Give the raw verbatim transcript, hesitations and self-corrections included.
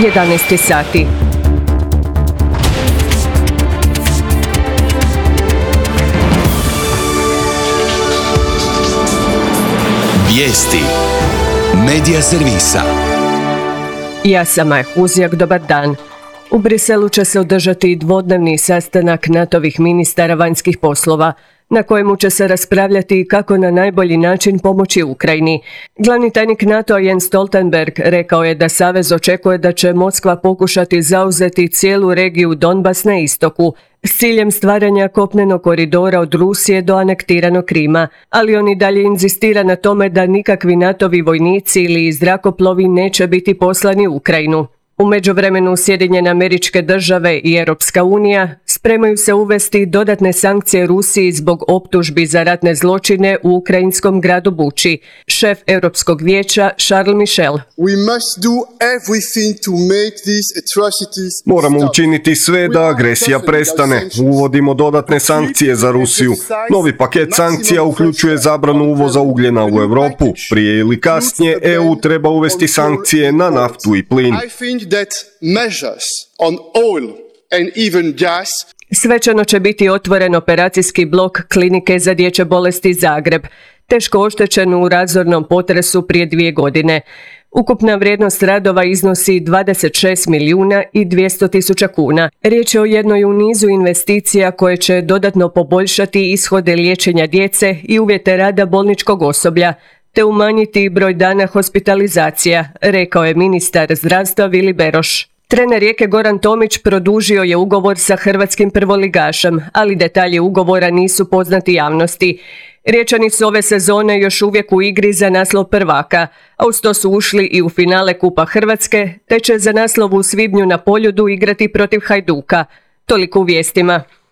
jedanaest sati. Vijesti Medija servisa. Ja sam Maja Huzjak, dobar dan. U Briselu će se održati dvodnevni sastanak natovih ministara vanjskih poslova, na kojemu će se raspravljati kako na najbolji način pomoći Ukrajini. Glavni tajnik NATO-a Jens Stoltenberg rekao je da savez očekuje da će Moskva pokušati zauzeti cijelu regiju Donbas na istoku, s ciljem stvaranja kopnenog koridora od Rusije do anektiranog Krima, ali on i dalje inzistira na tome da nikakvi natovi vojnici ili zrakoplovi neće biti poslani u Ukrajinu. U međuvremenu Sjedinjene Američke Države i Europska unija spremaju se uvesti dodatne sankcije Rusiji zbog optužbi za ratne zločine u ukrajinskom gradu Buči. Šef Europskog vijeća Charles Michel. Moramo učiniti sve da agresija prestane. Uvodimo dodatne sankcije za Rusiju. Novi paket sankcija uključuje zabranu uvoza ugljena u Europu. Prije ili kasnije E U treba uvesti sankcije na naftu i plin. That measures on oil and even gas. Svečano će biti otvoren operacijski blok Klinike za dječje bolesti Zagreb, teško oštećen u razornom potresu prije dvije godine. Ukupna vrijednost radova iznosi dvadeset šest milijuna i dvjesto tisuća kuna. Riječ je o jednoj u nizu investicija koje će dodatno poboljšati ishode liječenja djece i uvjete rada bolničkog osoblja, te umanjiti broj dana hospitalizacija, rekao je ministar zdravstva Vili Beroš. Trener Rijeke Goran Tomić produžio je ugovor sa hrvatskim prvoligašem, ali detalji ugovora nisu poznati javnosti. Riječani su ove sezone još uvijek u igri za naslov prvaka, a uz to su ušli i u finale Kupa Hrvatske, te će za naslov u svibnju na Poljudu igrati protiv Hajduka. Toliko u vijestima.